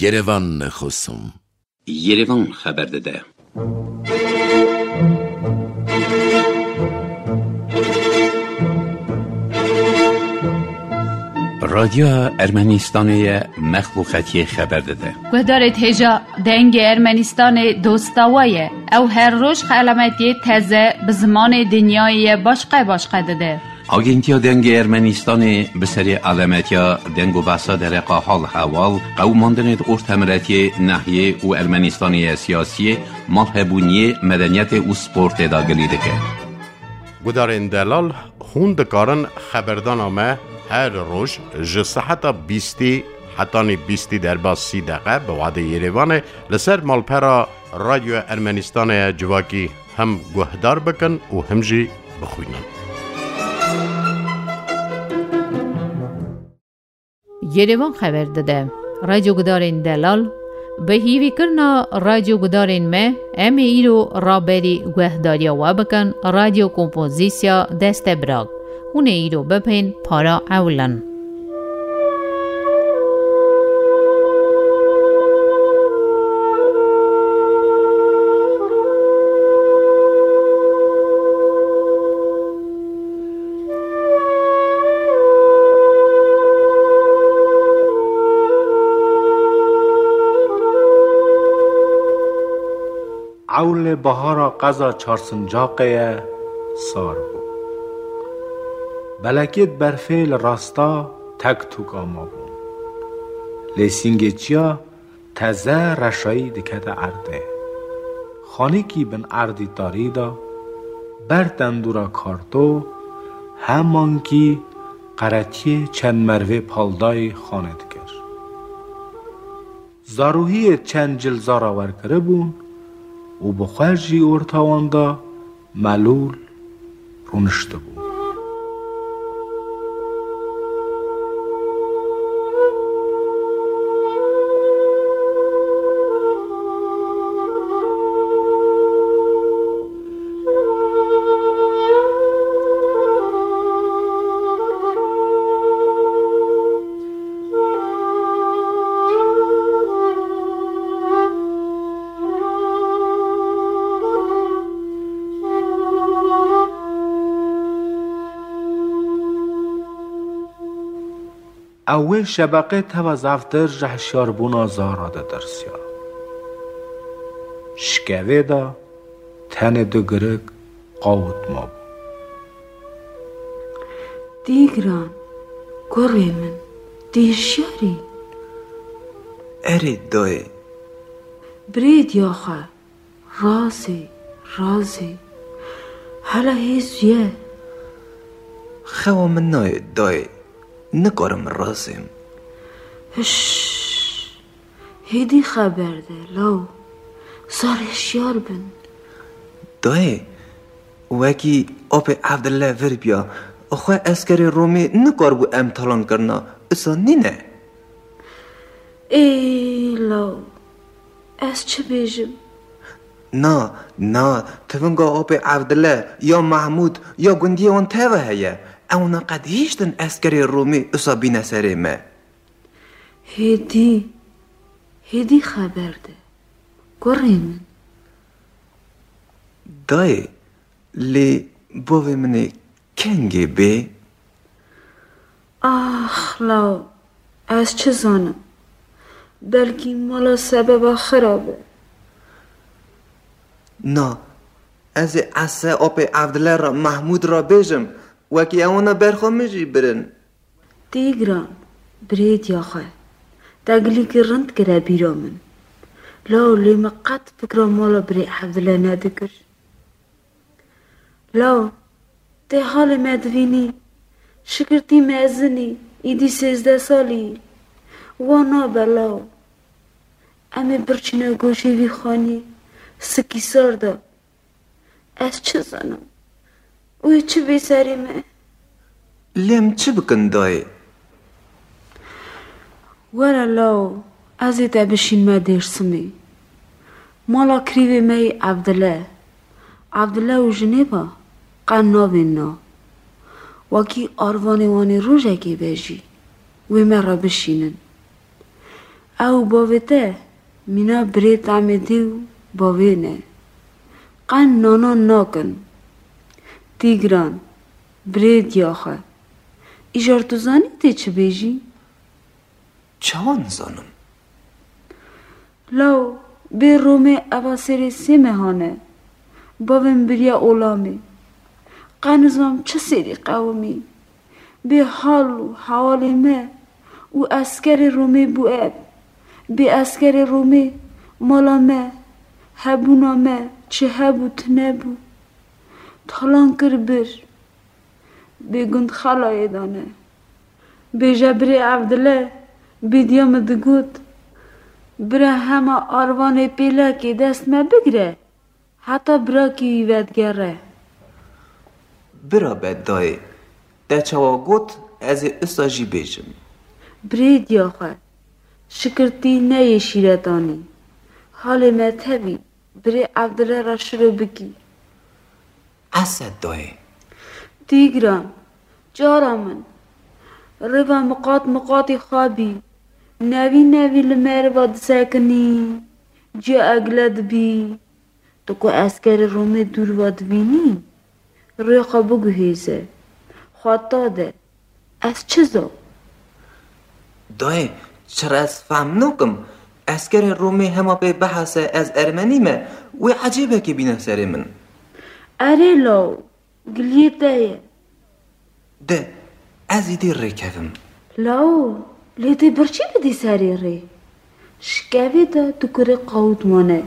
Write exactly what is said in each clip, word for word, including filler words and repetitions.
Yerevan Xusum. Yerevan xeber dide. Radyoya Ermenistanê ye, mexluqetiyê xeber dide. Guhdarê hêja Dengê Ermenistanê dosta we ye. Ew her roj xelametiyê teze bi zimanê dinyayê ye başqe başqe dide. Agentiya Dengê Ermenistanê bi serê alemetiya deng û behsa dereqa hal hewal, qewimandinê di ortemiretiyê, nehiyê û Ermenistanê ye siyasiyê, malhebûniyê, medeniyetê û sportê de gilî dike. Gudarên delal, hûn dikarin xeberdana me her roj ji seheta bîstî hetanî bîstî derbas sî deqe bi wadê Yerevanê li ser malpera Radyoya Ermenistanê ye civakî hem guhdar bikin û him jî bixwînin. Yerevan xeber dide. Radyo Gudarên Delal, bi hîvîkirina radyo gudarên me, em ê îro raberî guhdariya we bikin, Radyo Kompozîsya Destebirag. Hûn ê îro bibên para ewilin. Ewlê bahara qeza Çarsincaqê ye, sar bû. Belekêt berfê li rasta tek tûka mabûn. Lê sîngê çiya teze reşayî dikete erdê. Xanîkî bin erdî tarî de, ber tendûra karto, hemankî qeretiyê çend mervê paldayî xanê dikir. Zarûhiyê çend cil zara werkiribûn û bi xwe jî orta wan de melûl rûniştibû. Ew wê şebeqê teva zeftir ji hişyarbûna zara de tirsiya. Şikevê de tenê du girik qawit mabû. Dîgran, kurê min, tu hişyar î? Erê dayê. Birê diya xwe, razê, razê. Hela hêz ye. Xewa min nayê dayê. Nikarim razêm. Hiş. Hêdî xeber de, law. Zar hişyar bin. Dayê, wekî apê Evdile vir biya, xwe eskerê Romê nikaribû em talan kirina, isa nîne? Ê law, ez çi bêjim? Na, na, tivinga apê Evdile, ya Mehmûd, ya gundiyê wan teva heye. Ewna qet hîştin eskerê Romê isa bîne serê me. Hêdî, hêdî xeber de, kurê min. Dayê, lê bavê min ê kengê bê? Ax, law, ez çi zanim? Belkî mala sebeba xira be. Na, ez ê Ese apê Evdile re, Mehmûd re bêjim, wekî ewana berxwe min jî birin. Tîgran, birêtiya xwe, te gilîkî rind kire bîra min. Law lê min qet fikra mala birê Evdile nedikir. Law, tê halê me divînî, şikirtî mezin î, îdî sêzdeh salî yî. Wa nabe law. Em ê birçîne goşê vî xanî, sikî sar de. Ez çi zanim? Wê çi bê serê me? Lê em çi bikin dayê? Were law, ez ê te bişînme Dêrsimê. Mala kirîvê me yê Evdile. Evdile û jinê ve qe navên na. Wekî arvanê wan ê rojekê be jî wê me re bişînin. Ew bavê te mîna birê Tamêdî û bavê ne. Qen nanan nakin. Tîgran, birê diya xwe. Îcar tu zanî tê çi bêjî? Çawa nizanim? Law, bê Romê eva serê sê mehan e. Bavê min biriya olamê. Qe nizam çi serî qewimî. Bê hal û hewalê me û eskerê Romê bû ev. Bê eskerê Romê mala me, hebûna me, çi hebû, tune bû. Talan kir bir. Bêgund xelayê dane. Bêje birê Evdile, bêdiya min digot, bira hema arvanê pêlekê dest me bigire, heta birakî wî vedigere. Bira be dayê, te çawa got, ez ê usta jî bêjim. Birê diya xwe, şikirtî neyê şîretanî. Halê me tevî, birê Evdile re şiro bikî. Esed dayê. Tîgran, cara min, rêva miqat miqatî xwe bî. Nevî nevî li meriva disekinî, ciya egle dibî. Tu ku eskerê Romê dûr va dibînî, rê xwe biguhêze, xwe ta de. Ez çi zam? Dayê, çira ez fehm nakim, eskerê Romê hema pê bihese ez ermenî me, wê ecêbekê bîne serê min. Erê law, giliyê te ye. De, ez îdî rêkevim. Law, lê tê birçî bidî serê rê? Şikevê de tu kurê qawût mane.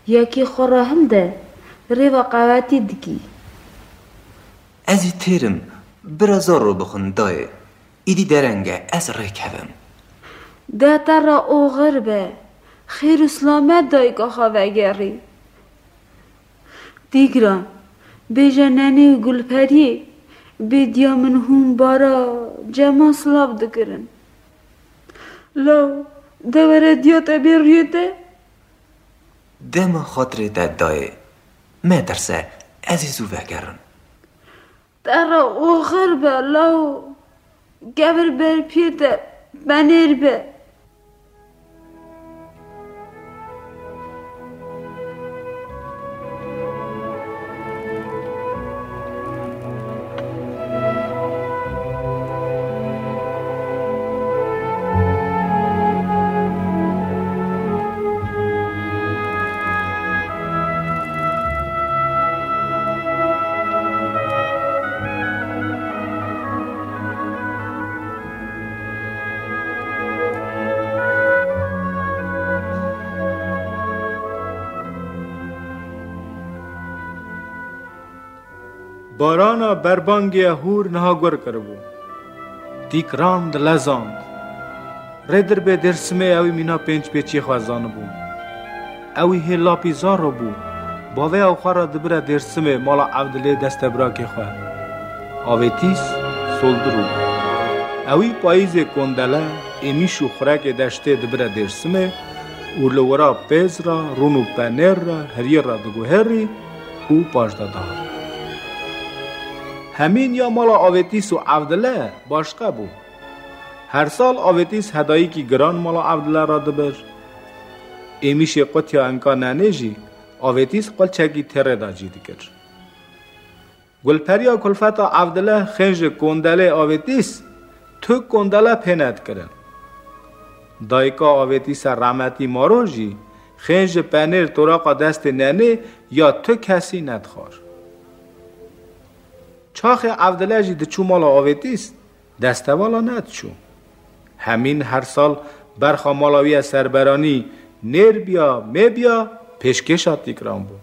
Yekê xwe re hilde, rêva qewetî dikî. Ez î têr im, bira zor ro bixwin dayê. Îdî dereng e, ez rêkevim. De te re oxir be, xêr û silamet dayika xwe vegerî. Tîgran, bêje Nenê û Gulperiyê, bê diya min hûn bara cema silav dikirin. Law, de were diya te bê rûyê te. Dema xatirê te dayê. Metirse, ez ê zû vegerim. Te re oxir be law. Kevir ber piyê te, benêr be. Barana berbangê hûr niha gur kiribû. Tîkran dilezand. Rê dirbê Dêrsimê ewî mîna pênc pêçiyê xwe zanibû. Ewî hê lapî zaro bû. Bavê ew xwe re dibire Dêrsimê mala Evdilê destebrakê xwe. Avêtîs Soldirû. Ewî payîzê kondele, êmîş û xurekê deştê dibire Dêrsimê û li wira pêz re, rûn û penêr re, hiriyê re diguherî û paş de dihat. Hemî niya mala Avêtîs û Evdile başqe bû. Her sal Avêtîs hedayîkî giran mala Evdile re dibir. Êmîşê qutiya enka Nenê jî Avêtîs qulçekî têrê de cî dikir. Gulperiya kulfeta Evdile xênjê kondelê Avêtîs tu kondele pê nedikirin. Dayika Avêtîse rehmetî Maro jî xênjê penêr toraqa destê Nenê ya tu kesî nedixwar. Çaxê Evdile jî diçû mala Avêtîs, destevala nediçû. Hemîn her sal berxa mala wî ya serberanî nêr biya, mê biya, pêşkêşa Tîkran bû.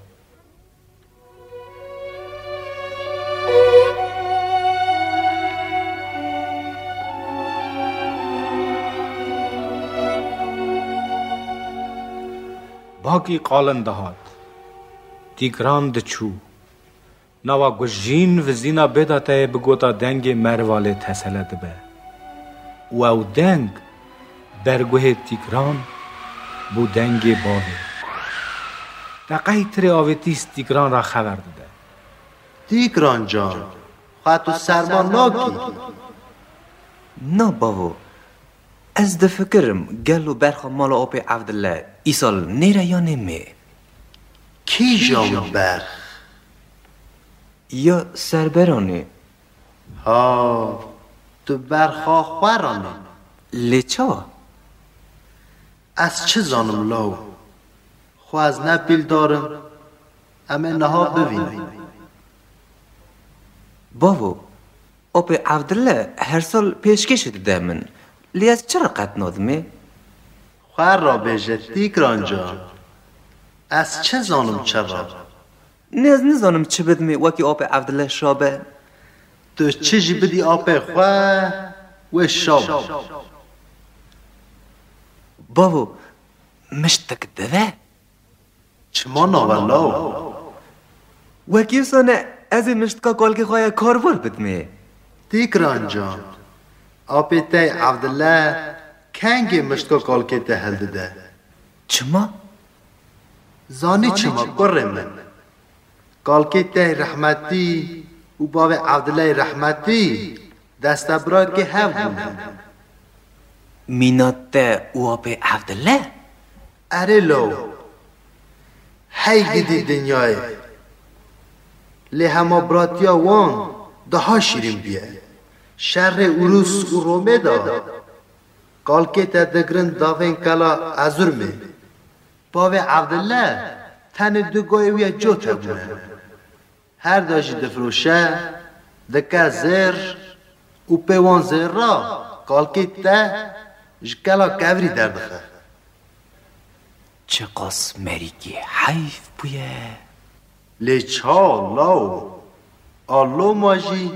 Bakî qalin dihat. Tîkran diçû. Nava gujîn vizîna bêdateyê bigota dengê merivalê tesele dibe. Û ew deng berguhê Tîkran bû dengê bavê. Deqeytirê Avêtîs Tîkran ra xever dide. Tîkran can, xwe tu serma nakî. Na bavo, Ez difikirim, gelo berxa mala apê Evdile îsal nêre yanê mê? Kîjan berx? Ya serberanê. Ha, tu berxa xwe ranî? Lê çawa? Ez çi zanim law? Xwe ez ne pîldar im. Em ê niha bivînin. Bavo, apê Evdile her sal pêşkêşî dide min. Lê ez çi re qet nadimê? Xwe rabêje Tîkran can. Ez çi zanim çi re? Ne ez nizanim çi bidimê wekî apê Evdile şabe. Tu çi jî bidî apê xwe, wê şabe. Bavo, miştik dive? Çima nave law? Wekî wisa ne, ez ê miştika kalkê xwe ya karvar bidimê. Tîkran can, apê te Evdile kengê miştika kalkê te hildide. Çima? Zanî çima, kurê min? Kalkê te rehmetî û bavê Evdileyê rehmetî destebirayekê hev bûne. Mîna te û apê Evdile? Erê law. Hey gidî dinyayê. Lê hemabiratiya wan daha şîrîn bûye. Şerê Urus û Romê de kalkê te digirin davên kela Ezurmê. Bavê Evdile tenê du goyê wî ya cot hebûne. Her da jî difiroşe, dike zêr û pê wan zêra kalkê te ji kela kevirî derdixe. Çiqas merîkî heyf bûye. Lê çawa law? A loma jî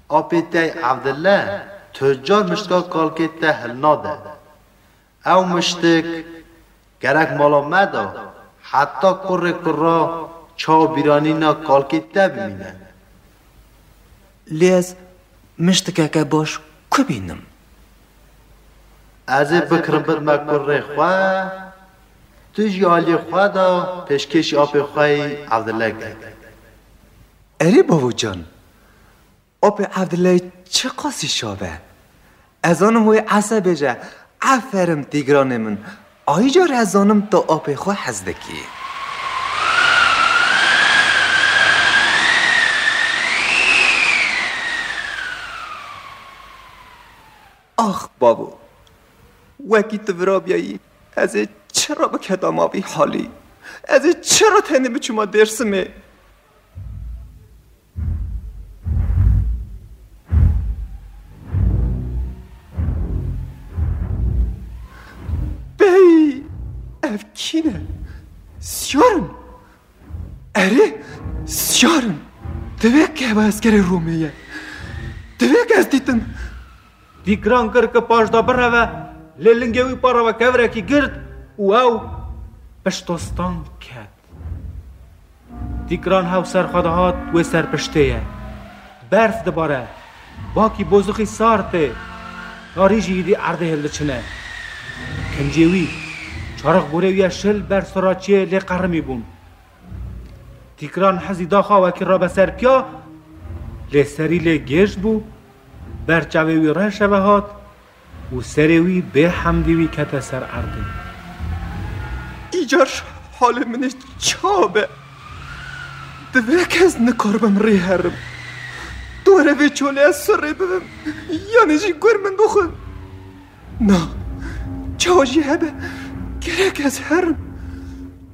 apê te Evdile tu car miştka kalkê te hilnade. Ew miştik gerek mala me de heta kurê kura çawa bîranîna kalkê te bimîne. Lê ez miştikeke baş ku bînim? Ez ê bikirim bidime kurê xwe, tu jî aliyê xwe de pêşkêşî apê xwe yî Evdile ke. Erê bavo can, apê Evdileyê çiqasî şav e. Ez zanim wê Ese bêje, "Eferin Tîgranê min." Ayî car ez zanim tu apê xwe hez dikî. Ax bavo, wekî tu virabiyayî, ez ê çira biketama vî halî? Ez ê çira tenê biçûma Dêrsimê? Bey, ev kî ne? Siyar in. Erê, siyar in. Divê ke ev eskerê Romê ye. Divê ke ez dîtim. Dîgran kir ki paş da bireve, lê lingê wî pa re ve kevirekî gird û ew piştostan ket. Dîgran hew ser xwe dihat wê serpiştê ye. Berf dibare, bakî bozixî sar tê, tarî jî êdî erdê hildiçine. Kincê wî, çarix gorê wî ye şil ber siraçiyê lê qerimî bûn. Tîkran hezî daxa wekî rabe ser piya, lê serî lê gêj bû, ber çavê wî reş ve hat û serê wî bê hemdî wî kete ser erdê. Îcar halê min ê çawa be? Divê ke ez nikaribim rê herim. Dore vê çolê ez sirrê bibim, yanî jî gur min bixwin. Na, çawa jî hebe, gerek ez herim.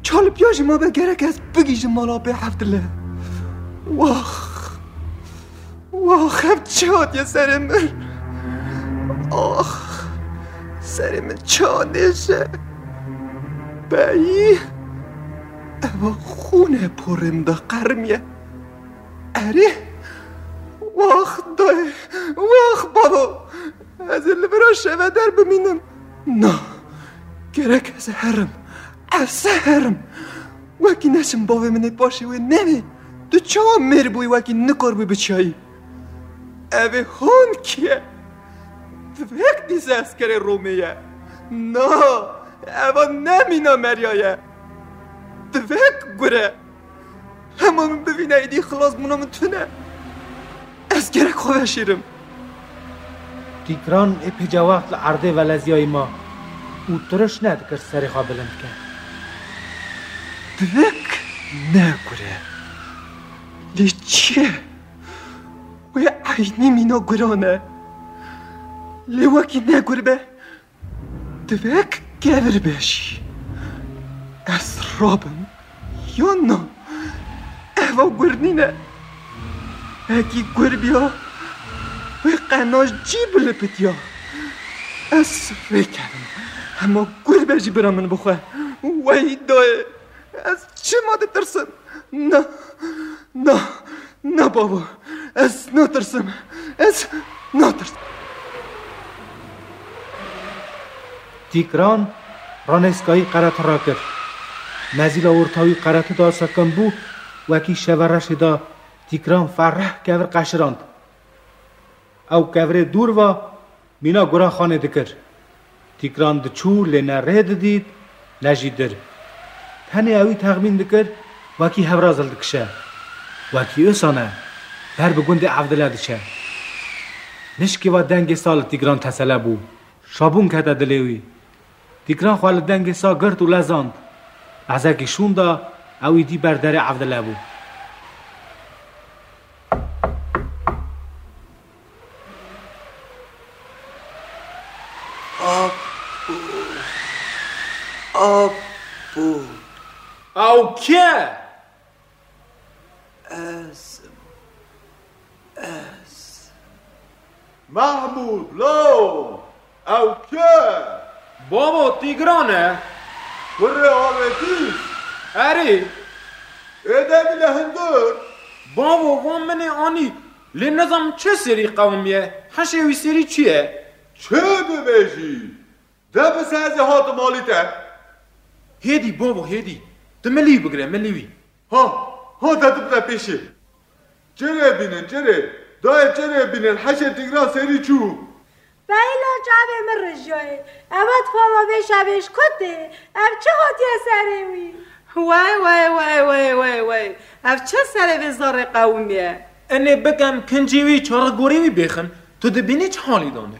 Çalipya jî mabe, gerek ez bigihîjim mala bê Evdile. Wax, wax, ev çi hatiye serê min? Ax, serê min çawa nêşe. Beyî, eva xûne porê min de qerimiye. Erê, wax dayê, wax bavo. Ez ê li vira şeve der bimînim. Na, gerek ez herim. Ez herim. Wekî neçim bavê min ê paşê wê nebe. Tu çawa mêr bûyî wekî nikarbûyî biçiyayî? Ev ê hon kî ye? Divek dîse eskerê Romê ye. Na, eva ne mîna meriya ye. Divek gure. Hema min bivîne êdî xilasbûna min tune. Ez gerek xwe veşêrim. Tîgran ê pêca wext li erdê veleziyayî ma û tiriş nedikir serê xwe bilind ke. Divek ne gur e. Lê çi ye? Wê eynî mîna guran e. Lê wekî ne gur be. Divek kevir be jî. Ez rabim yan na? Eva gur nîne. Hekî gur biya, wê qenaj cî bilipitiya. Ez rêkevim. Hema gur be jî bira min bixwe. Wey dayê. Ez çima ditirsim? Na, na, na babo. Ez natirsim. Ez natirsim. Tîgran ranêskayî qereti rakir. Mezîla orta wî qereti da sekin bû, wekî şeve reşê da Tîgran fereh kevir qeşirand. Ew kevirê dûr va mîna guran xanê dikir. Tîgran diçû lê ne rê didît, ne jî dir. Tenê ewî texmîn dikir, wekî hevra zil dikişe. Wekî usa ne, ber bi gundê Evdile diçe. Nişkê va dengê sa li Tîgran tesele bû. Şabûn kete dilê wî. Tîgran xwe li dengê sa girt û lezand. Lehzekî şûn da, ew îdî ber derê Evdile bû. Apo. Apo. Ew kê? Ez. Ez. Mahmûd, law! Ew kê? Babo, Tîgran e. Kurê avêtî? Erê. Ê de bîne hundir. Babo, van min ê anî. Lê nizam çi serî qewimiye? Heşê wî serî çi ye? Çi dibêjî? De bi sezê hatim alî te. Hêdî babo, hêdî. Tu milî bigire, milî wî. Ha, ha, de tu bide pêşê. Çirê bînin, çirê. Dayê çirê bînin, heşê Tîgran serî çû. Beyla çavê min rijiyayê. Eva tifala vê şevê ji ku tê? Ev çi hatiye serê wî? Wey, wey, wey, wey, wey, wey. Ev çi serê vê zarê qewimiye? Enê bikem kincî wî, çarix gorê wî bêxin. Tu dibînî çi halî dane?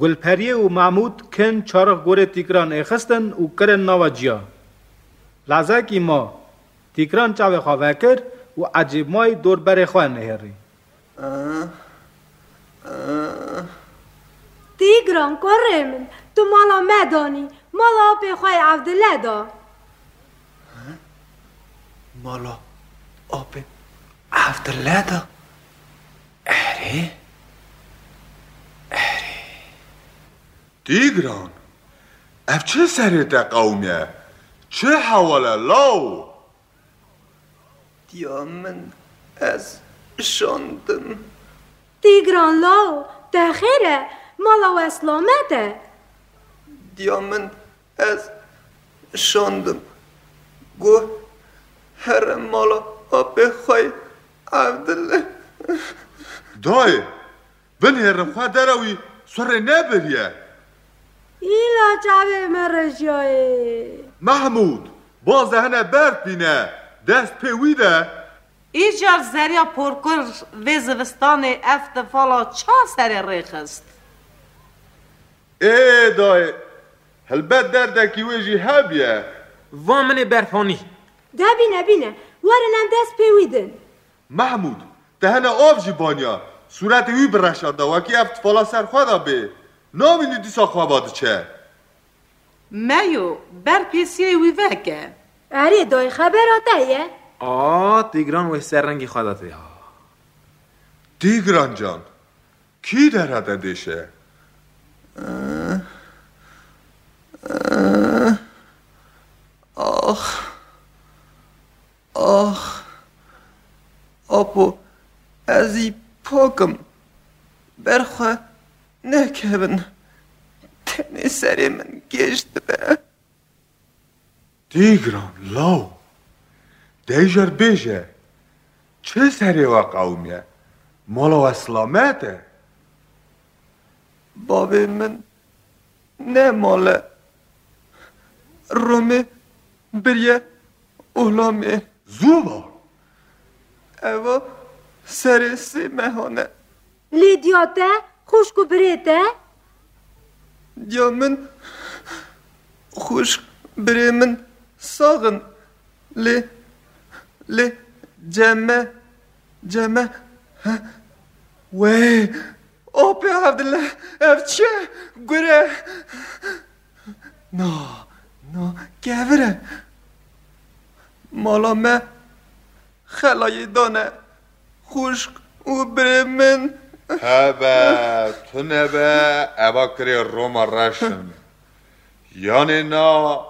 Gulperiyê û Mahmûd kin çarix gorê Tîgran êxistin û kirin nava ciya. Lezekî ma, Tîgran çavê xwe vekir û ecêbmayî dorberê xwe nihêrî. Tîgran, kurê min, tu mala me danî, mala apê xwe yê Evdile da. Mala apê Evdile da? Erê, erê. Tîgran, ev çi serê te qewimiye? Çi hewal e law? Diya min, ez şandim. Tîgran law, te xêr e, mala we silamet e. Diya min, ez şandim. Got, here mala apê xwe yê Evdile. Dayê, binêrin xwe dere wî surê nebiriye. Îla çavê me rijiyayê. Mehmûd, baze hene berf bîne, dest pê wî de. Îcar zeriya porkur vê zivistanê ev tifala ça serê rêxist? Ê dayê, helbet derdekî wê jî hebiye. Va min ê berfanî. De bîne, bîne, werin em dest pê wî din. Mehmûd, te hene av jî baniya, sûretê wî bireşanda, wekî ev tifala ser xwe de bê. Namînî dîsa xwe va diçe. Meyo, ber pêsiyê wî veke. Erê dayê, xebera te ye? A, Tîgran wê ser rengî xwe de tê ha. Tîgran can, kî dere te dêşe? Ax. Ax, apo, ez î pak im. Ber xwe nekevin. Tenê serê min gêj dibe. Tîgran, law, deyjer bêje, çi serê we qewimiye? Mala we silamet e? Bavê min ne mal e. Romê biriye olamê. Zû va. Eva serê sê mehan e. Lê diya te, xwişk û birê te? Diya min, xwişk, birê min sax in. Lê, lê, cem me, cem me, he? Wey, apê Evdile, ev çi ye? Gure. Na, na, kevir e. Mala me xelayê dane. Xwişk û birê min. Hebe, tune be, eva kirê Roma reş in. Yanê na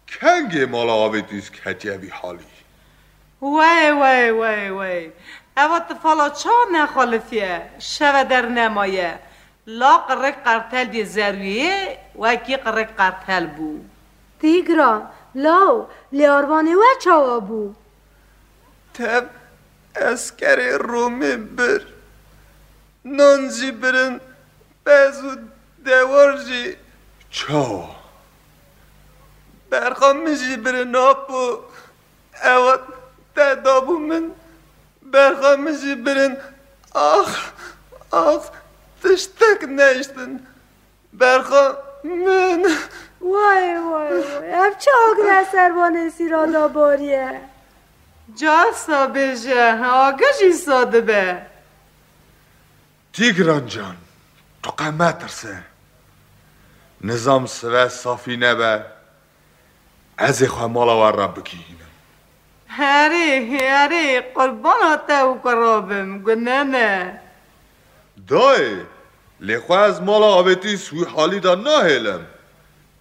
kengê mala Avêtîs ketiye vî halî? Wey, wey, wey, wey. Eva tifala çawa nexalifiye, şeve dernemaye. La qirêk qertel yê zerwiyê, wekî qirêk qertel bû. Tîgran, law, lê arvanê we çawa bû? Tev eskerê Romê bir. Nan jî birin, pez û dewar jî. Çawa? Berxa min jî birin, apo. Ewa te dabû min. Berxa min jî birin. Ax, ax, tiştek nehiştin. Berxa min. Way, way, way. Ev çi agir e ser van hêsîra da bariye? Carsa bêje, agir jî sa dibe. Tîgran can, tu qe metirse. Nizam sive safî nebe. Ez ê xwe mala we re bigihînim. Herê, herê, qurbana te û kura bim, gunene. Dayê, lê xwe ez mala Avêtîs wî halî de nahêlim.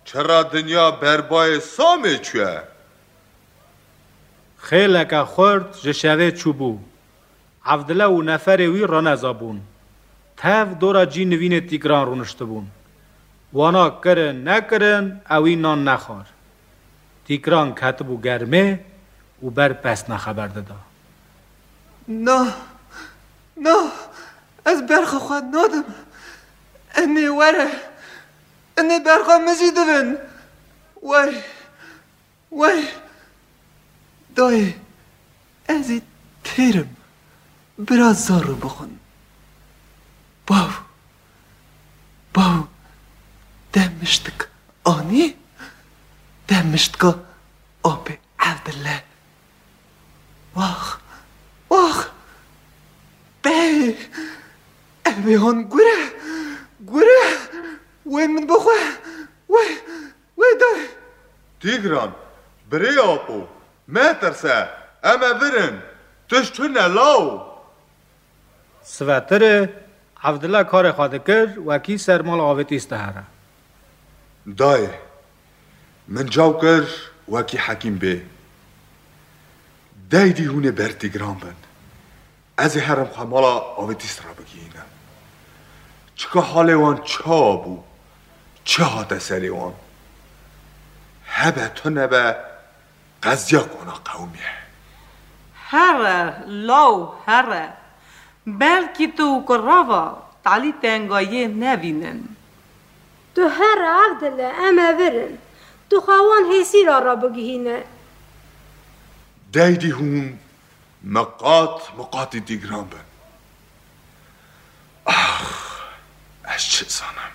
Çira dinya berbayê Samê çûye? Xêleke xurt ji şevê çûbû. Evdile û neferê wî raneza bûn. Tev dora cî nivînê Tîgran rûniştibûn. Wana kirin nekirin, ewî nan nexwar. Tîgran ketibû germê û ber pesna xeber dida. Na, na, ez berxa xwe nadim. Enê were, enê berxa min jî dibin. Wey, wey, dayê, ez ê têrim, bira zaro bixwin. Bav, bav, te miştik anî, te miştika apê Evdile. Wax, wax, bey, ev ê han gure, gure, wê min bixwe, wê, wê dayê. Tîgran, birê apo, metirse, em ê virin, tişt tune law. Sivetirê, Evdile karê xwe dikir, wekî ser mala Avêtîs dihere. Dayê, min caw kir, wekî hekîm bê. Deydî hûn ê ber Tîgran bin. Ez ê herim xwe mala Avêtîs re bigihînim. Çika halê wan çawa bû? Çi hate serê wan? Hebe tune be, qeziya wana qewimiye. Here, law, here. Belkî tu û kurava talî tengayê nevînin. Tu here Evdile, em ê virin. Tu xwe wan hêsîra re bigihîne. Deydî hûn miqat miqatî Tîgran bin. Ax, ez çi zanim?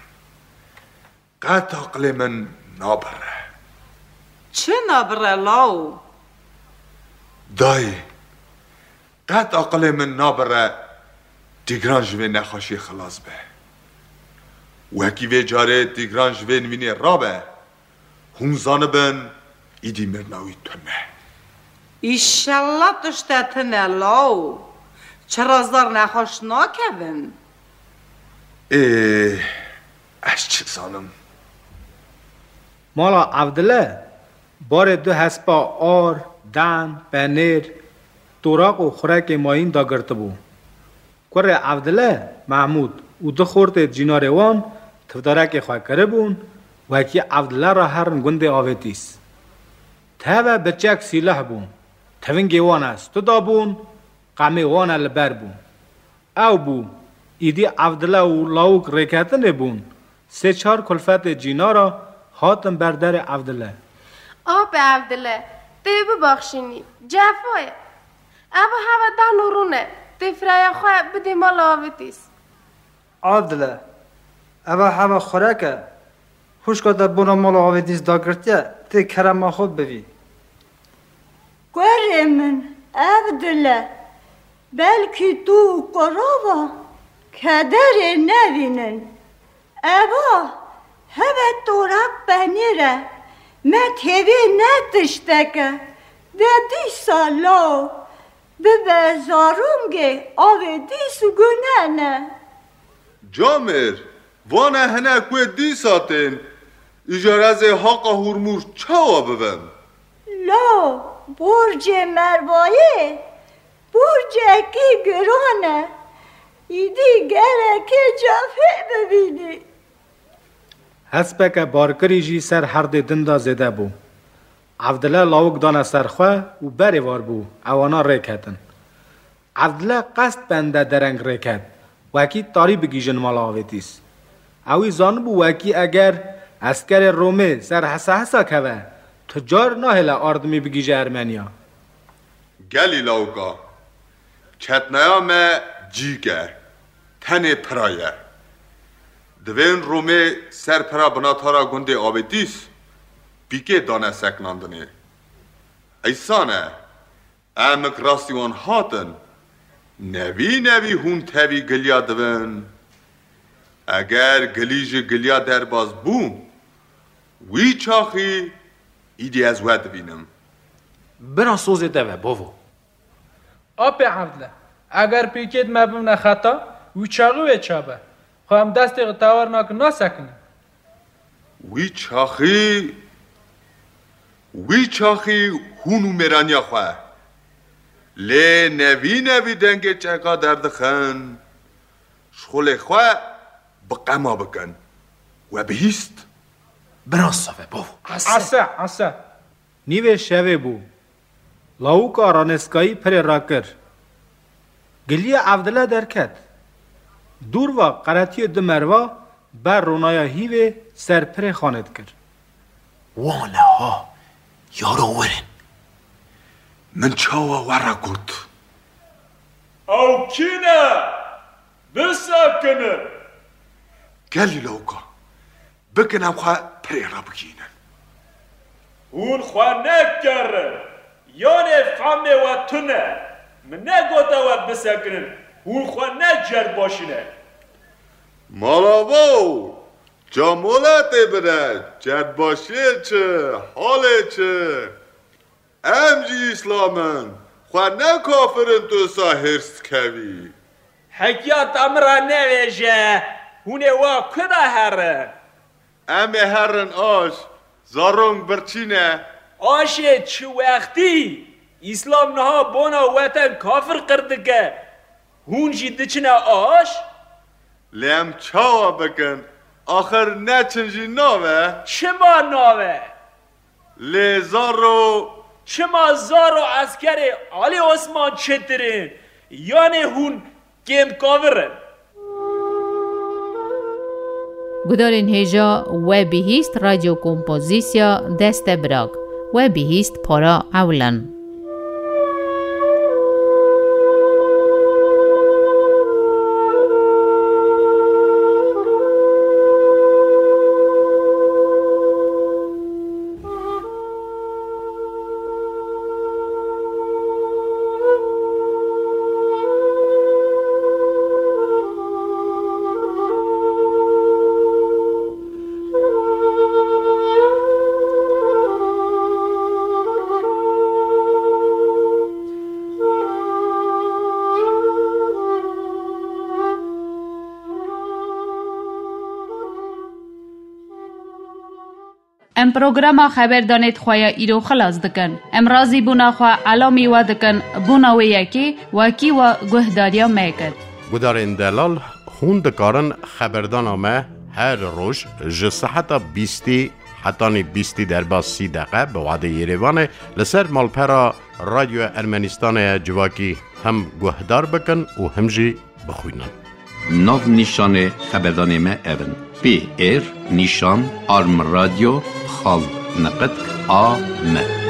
Qet aqilê min nabire. Çi nabire law? Dayê, qet aqilê min nabire Tîgran ji vê nexweşiyê xilas be. Wekî vê carê Tîgran ji vê nivînê rabe, hûn zanibin, îdî mirina wî tune. Îşellah tişte tune law. Çira zar nexweş nakevin. Ê, ez çi zanim? Mala Evdile barê du hespa ar, dan, penêr, toraq û xurekê mayîn dagirtibû. Kurê Evdile, Mehmûd û du xortê cînarê wan tivdarekê xwe kiribûn, wekî Evdile re herin gundê Avêtîs. Teve bi çek sîleh bûn, tivingê wan e studa bûn, qemê wan e li ber bûn. Ew bû, îdî Evdile û lawik rêketinê bûn, sê çar kulfetê cînara hatin ber derê Evdile. Apê Evdile, tê bibaxşînî, cefa ye. Eva heve dan û rûne, tê firaya xwe bidê mala Avêtîs. Evdile, eva heva xurek e. Huşka te bona mala Avedîs dagirtiye, tê kerema xwe bivî. Kurê min, Evdile, belkî tu û kurava kederê nevînin. Eva, heve toraq penîr e, me têvê ne tiştek e, de dîsa law bibe zarûngê Avedîs gune ne. Camêr, vane hinek wê dîsa tên, îcar ez ê haqa Hurmûz çawa bibim? Law, borcê Mervayê borcekî giran e, îdî gerek e cafê bibînî. Hespeke barkirî jî ser herdê din de zêde bû. Evdile lawik dane ser xwe û berê var bû, ewana rê ketin. Evdile qest bende dereng rê ket, wekî tarî bigihîjin mala Avedîs. Ewî zanibû wekî eger eskerê Romê ser hesa hesa keve, tu car nahêle ardimî bigihîje Ermeniya. Gelî lawika, çetnaya me cîk e, tenê pira ye. Divên Romê ser pira binatara gundê Avedîs pîkê dane seknandinê. Îsan e, emik rastî wan hatin, nevî nevî hûn tevî giliya divin. Eger gilî ji giliya derbas bû, wî çaxî îdî ez we dibînim. Bira sozê te ve, bavo. Apê Evdile, eger pîkêt me bimne xeta, wî çaxî wê çabe. Xwe em destê xwe tewer nakin nasekinin. Wî çaxî, wî çaxî hûn û mêraniya xwe. Lê nevî nevî dengê çeka derdixin, şixulê xwe bi qema bikin. We bihîst? Bira sozê ve, bavo. Ese, ese. Nîvê şevê bû. Lawika ranêskayî pirê rakir. Giliya Evdile derket. Dûr va qeretiyê du merva ber ronaya hîvê ser pirê xanê dikir. Wane ha, yaro werin. Min çawa we re got? Ew kî ne? Bisekinin! Gelî lawika, bikin em xwe pirê re bigihînin. Hûn xwe nekerin, yanê fehmê we tune. Min negote we bisekinin, hûn xwe ne cerdbaşî ne. Malavo, camoletê bide, cerdbaşiyê çi, halê çi? Em jî îslam in, xwe ne kafir in tu sa hêrs dikevî. Hekiya te min re nevêje, hûn ê wa ku de herin? Em ê herin aş, zarong birçî ne. Aşê çi wextî? Îslam niha bona weten kafir qir dike. Hûn jî diçine aş? Lê em çawa bikin? Axir neçin jî nabe? Çima nabe? Lê zaro. Çima zaro eskerê Alî Osman çêtir in? Yanê hûn kêm kavir in? Gudarên hêja We Bihîst Radyo Kompozîsya Deste Birak, We Bihîst Para Ewlen. Em programa xeberdanê xwe ya îro xilas dikin. Em razîbûna xwe elamî we dikin, bona wê yekê wekî we guhdariya me kir. Gudarên delal, hûn dikarin xeberdana me her roj ji seheta bîstî hetanî bîstî derbas sî deqe bi wadê Yerêvanê li ser malpera Radyoya Ermenistanê ya civakî him guhdar bikin û him jî bixwînin. Nav nîşanê xeberdanê me ev in: P R nîşan arm radyo xal niqitk a m.